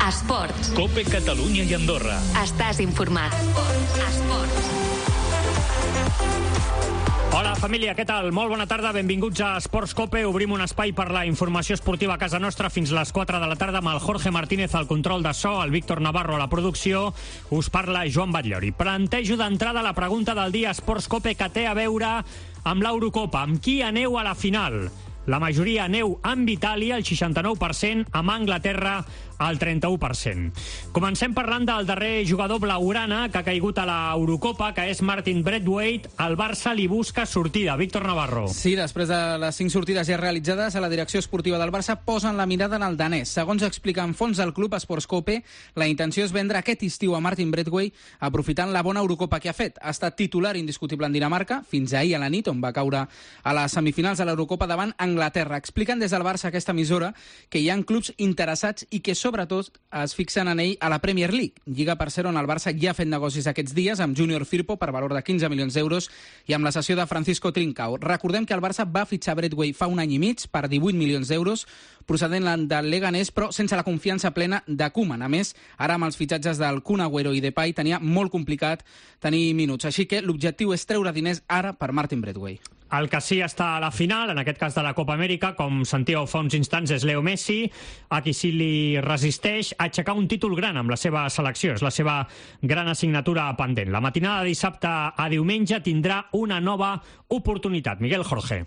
Esports. COPE Catalunya i Andorra. Estàs informat. Esports. Hola, família, què tal? Molt bona tarda, benvinguts a Esports COPE. Obrim un espai per la informació esportiva a casa nostra fins les 4 de la tarda amb el Jorge Martínez al control de so, el Víctor Navarro a la producció. Us parla Joan Batllori. Plantejo d'entrada la pregunta del dia Esports COPE que té a veure amb l'Eurocopa. Amb qui aneu a la final? La majoria aneu amb Itàlia, el 69%, amb Anglaterra, el 31%. Comencem parlant del darrer jugador blaugrana que ha caigut a l'Eurocopa, que és Martin Braithwaite. El Barça li busca sortida. Víctor Navarro. Sí, després de les 5 sortides ja realitzades, a la direcció esportiva del Barça posen la mirada en el danès. Segons explica en fons del club Esports COPE, la intenció és vendre aquest estiu a Martin Braithwaite, aprofitant la bona Eurocopa que ha fet. Ha estat titular indiscutible en Dinamarca, fins ahir a la nit, on va caure a les semifinals de l'Eurocopa davant Anglaterra. Expliquen des del Barça aquesta emissora que hi ha clubs interessats i que sobretot es fixen en ell a la Premier League, lliga per ser on el Barça ja ha fet negocis aquests dies amb Junior Firpo per valor de 15 milions d'euros i amb la cessió de Francisco Trincao. Recordem que el Barça va fitxar Braithwaite fa un any i mig per 18 milions d'euros procedent del Leganés, però sense la confiança plena de Koeman. A més, ara amb els fitxatges del Kun Agüero i Depay tenia molt complicat tenir minuts, així que l'objectiu és treure diners ara per Martin Braithwaite. El que sí està a la final, en aquest cas de la Copa Amèrica, com sentíeu fa uns instants, és Leo Messi, a qui sí li resisteix a aixecar un títol gran amb la seva selecció. És la seva gran assignatura pendent. La matinada de dissabte a diumenge tindrà una nova oportunitat. Miguel Jorge.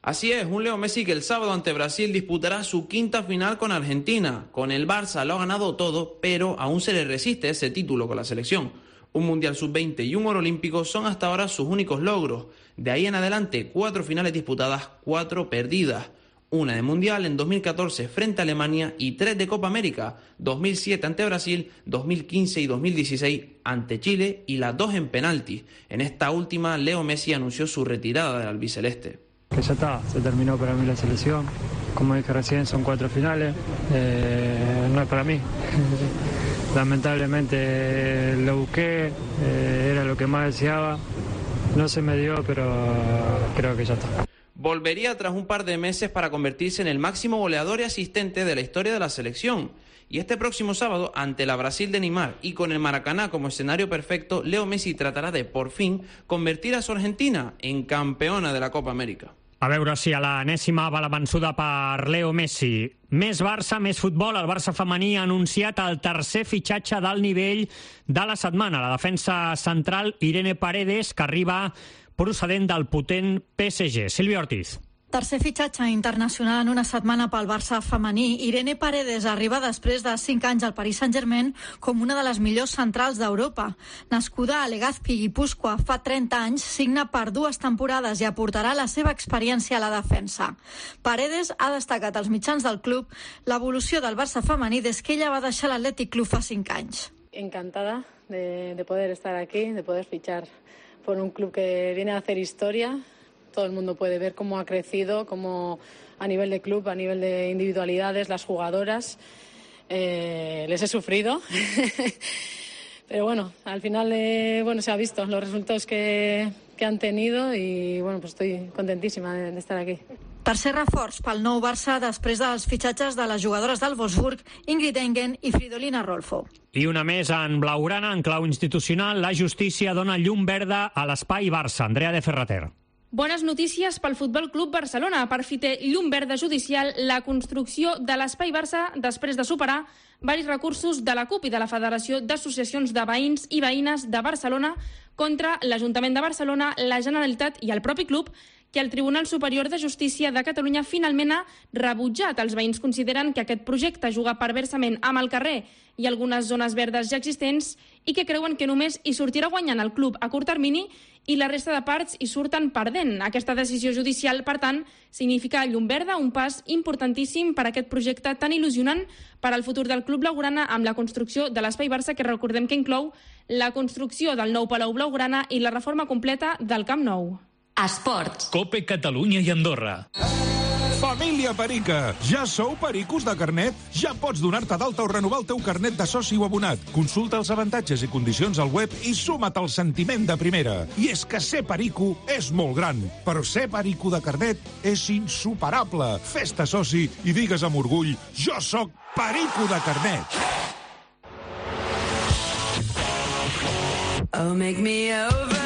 Así es, un Leo Messi que el sábado ante Brasil disputará su quinta final con Argentina. Con el Barça lo ha ganado todo, pero aún se le resiste ese título con la selección. Un Mundial Sub-20 y un Oro Olímpico son hasta ahora sus únicos logros. De ahí en adelante, 4 finales disputadas, 4 perdidas. Una de Mundial en 2014 frente a Alemania y 3 de Copa América, 2007 ante Brasil, 2015 y 2016 ante Chile y las 2 en penaltis. En esta última, Leo Messi anunció su retirada del albiceleste. Que ya está, se terminó para mí la selección. Como dije recién, son 4 finales, no es para mí. Lamentablemente lo busqué, era lo que más deseaba. No se me dio, pero creo que ya está. Volvería tras un par de meses para convertirse en el máximo goleador y asistente de la historia de la selección. Y este próximo sábado, ante la Brasil de Neymar y con el Maracaná como escenario perfecto, Leo Messi tratará de, por fin, convertir a su Argentina en campeona de la Copa América. A veure si a l'enèsima va la vençuda per Leo Messi. Més Barça, més futbol. El Barça femení ha anunciat el tercer fitxatge d'alt nivell de la setmana. La defensa central Irene Paredes, que arriba procedent del potent PSG. Sílvia Ortiz. Tercer fitxatge internacional en una setmana pel Barça femení. Irene Paredes arriba després de 5 anys al Paris Saint-Germain com una de les millors centrals d'Europa. Nascuda a Legazpi, Guipúscoa, fa 30 anys, signa per 2 temporades i aportarà la seva experiència a la defensa. Paredes ha destacat als mitjans del club l'evolució del Barça femení des que ella va deixar l'Athletic Club fa 5 anys. Encantada de poder estar aquí, de poder fichar por un club que viene a hacer historia. Todo el mundo puede ver cómo ha crecido, cómo a nivel de club, a nivel de individualidades, las jugadoras. Les he sufrido, pero bueno, al final se ha visto los resultados que han tenido y bueno, pues estoy contentísima de estar aquí. Tercer reforç pel nou Barça després dels fitxatges de les jugadores del Wolfsburg, Ingrid Engen i Fridolina Rolfo. I una més en blaugrana, en clau institucional, la justícia dona llum verda a l'espai Barça. Andrea de Ferrater. Bones notícies pel Futbol Club Barcelona. Per fi té llum verda judicial la construcció de l'Espai Barça després de superar varis recursos de la CUP i de la Federació d'Associacions de Veïns i Veïnes de Barcelona contra l'Ajuntament de Barcelona, la Generalitat i el propi club, que el Tribunal Superior de Justícia de Catalunya finalment ha rebutjat. Els veïns consideren que aquest projecte juga perversament amb el carrer i algunes zones verdes ja existents i que creuen que només hi sortirà guanyant el club a curt termini i la resta de parts hi surten perdent. Aquesta decisió judicial, per tant, significa llum verda, un pas importantíssim per a aquest projecte tan il·lusionant per al futur del club blaugrana amb la construcció de l'Espai Barça, que recordem que inclou la construcció del nou Palau Blaugrana i la reforma completa del Camp Nou. Esports. COPE Catalunya i Andorra. Família Perica, ja sou pericos de carnet? Ja pots donar-te d'alta o renovar el teu carnet de soci o abonat. Consulta els avantatges i condicions al web i suma't al sentiment de primera. I és que ser perico és molt gran, però ser perico de carnet és insuperable. Fes-te soci i digues amb orgull: jo sóc perico de carnet. Oh, make me over.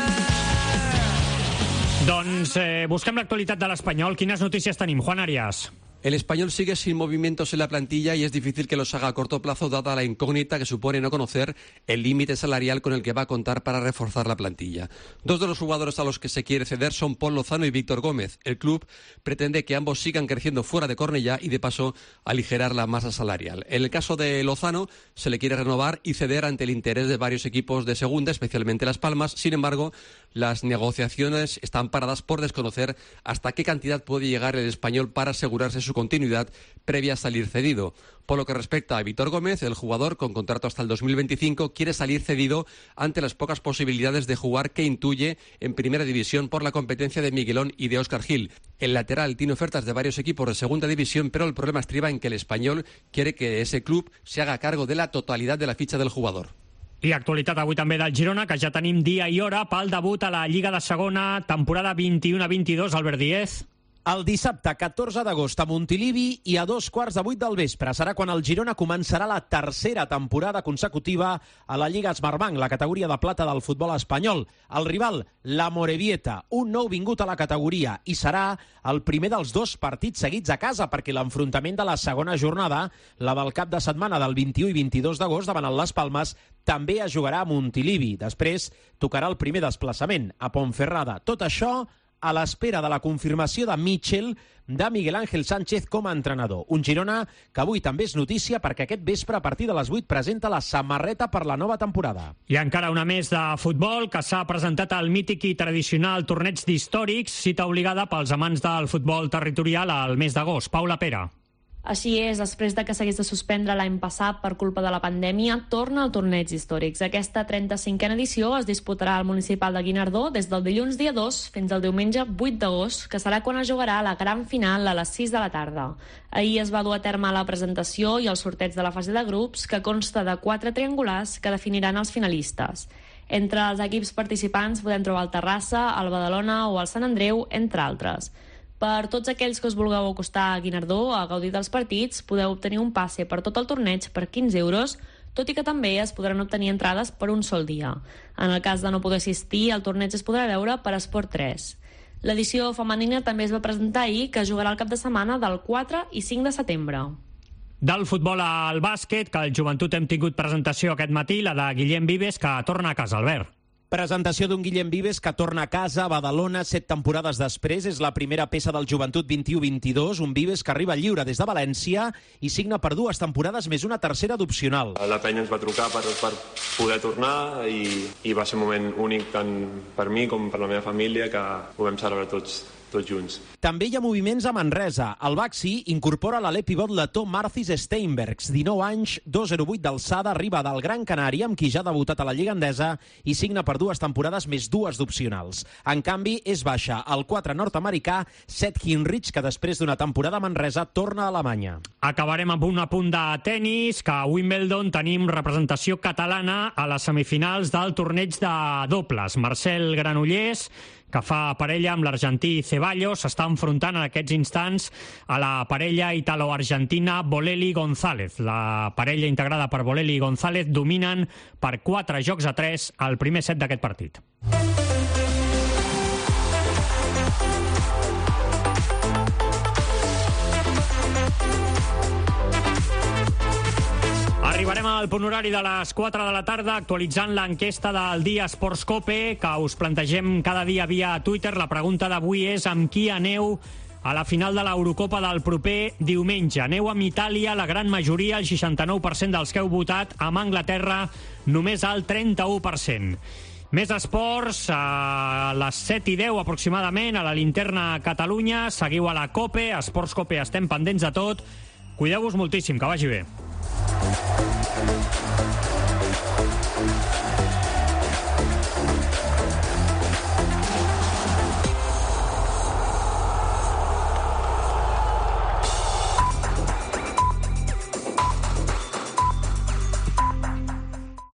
Doncs busquem l'actualitat de l'Espanyol. Quines notícies tenim, Juan Arias? El Español sigue sin movimientos en la plantilla y es difícil que los haga a corto plazo dada la incógnita que supone no conocer el límite salarial con el que va a contar para reforzar la plantilla. Dos de los jugadores a los que se quiere ceder son Pol Lozano y Víctor Gómez. El club pretende que ambos sigan creciendo fuera de Cornellá y de paso aligerar la masa salarial. En el caso de Lozano se le quiere renovar y ceder ante el interés de varios equipos de segunda, especialmente Las Palmas. Sin embargo, las negociaciones están paradas por desconocer hasta qué cantidad puede llegar el Español para asegurarse su continuidad previa a salir cedido. Por lo que respecta a Víctor Gómez, el jugador con contrato hasta el 2025 quiere salir cedido ante las pocas posibilidades de jugar que intuye en primera división por la competencia de Miguelón y de Óscar Gil. El lateral tiene ofertas de varios equipos de segunda división, pero el problema estriba en que el Español quiere que ese club se haga cargo de la totalidad de la ficha del jugador. I actualitat avui també del Girona, que ja tenim dia i hora pel debut a la Lliga de Segona, temporada 21-22, Albert Díez. El dissabte 14 d'agost a Montilivi i a 2:15 del vespre serà quan el Girona començarà la tercera temporada consecutiva a la Lliga Smartbank, la categoria de plata del futbol espanyol. El rival, la Morevieta, un nou vingut a la categoria, i serà el primer dels dos partits seguits a casa, perquè l'enfrontament de la segona jornada, la del cap de setmana del 21 i 22 d'agost davant el Las Palmes, també es jugarà a Montilivi. Després tocarà el primer desplaçament a Ponferrada. Tot això a l'espera de la confirmació de Mitchell de Miguel Ángel Sánchez com a entrenador. Un Girona que avui també és notícia perquè aquest vespre a partir de les 8 presenta la samarreta per la nova temporada. I encara una més de futbol, que s'ha presentat al mític i tradicional torneig d'històrics, cita obligada pels amants del futbol territorial al mes d'agost. Paula Pera. Així és, després de que s'hagués de suspendre l'any passat per culpa de la pandèmia, torna al torneig històrics. Aquesta 35a edició es disputarà al municipal de Guinardó des del dilluns dia 2 fins al diumenge 8 d'agost, que serà quan es jugarà la gran final a les 6 de la tarda. Ahir es va dur a terme la presentació i el sorteig de la fase de grups, que consta de 4 triangulars que definiran els finalistes. Entre els equips participants podem trobar el Terrassa, el Badalona o el Sant Andreu, entre altres. Per tots aquells que us vulgueu acostar a Guinardó a gaudir dels partits, podeu obtenir un passe per tot el torneig per 15 euros, tot i que també es podran obtenir entrades per un sol dia. En el cas de no poder assistir, el torneig es podrà veure per Esport 3. L'edició femenina també es va presentar ahir, que jugarà el cap de setmana del 4 i 5 de setembre. Del futbol al bàsquet, que al Joventut hem tingut presentació aquest matí, la de Guillem Vives, que torna a casa, Albert. Presentació d'un Guillem Vives que torna a casa a Badalona 7 temporades després. És la primera peça del Joventut 21-22, un Vives que arriba lliure des de València i signa per 2 temporades més una tercera d'opcional. La penya ens va trucar per poder tornar i va ser un moment únic tant per mi com per la meva família, que ho vam celebrar tots junts. També hi ha moviments a Manresa. El Baxi incorpora l'alè pivot letó Marcis Steinbergs, 19 anys, 2,08 d'alçada, arriba del Gran Canària, amb qui ja ha debutat a la Lliga Endesa i signa per 2 temporades més 2 d'opcionals. En canvi, és baixa el 4 nord-americà Seth Hinrich, que després d'una temporada a Manresa torna a Alemanya. Acabarem amb un apunt de tennis, que a Wimbledon tenim representació catalana a les semifinals del torneig de dobles. Marcel Granollers, que fa parella amb l'argentí Ceballos, s'està enfrontant en aquests instants a la parella italo-argentina Bolelli González. La parella integrada per Bolelli i González dominen per 4-3 al primer set d'aquest partit. Arribarem al punt horari de les 4 de la tarda actualitzant l'enquesta del dia Esports Cope, que us plantegem cada dia via Twitter. La pregunta d'avui és amb qui aneu a la final de l'Eurocopa del proper diumenge. Aneu amb Itàlia, la gran majoria, el 69% dels que heu votat, amb Anglaterra només el 31%. Més esports, a les 7:10 aproximadament, a la Linterna Catalunya. Seguiu a la Cope, Esports Cope, estem pendents de tot. Cuideu-vos moltíssim, que vagi bé.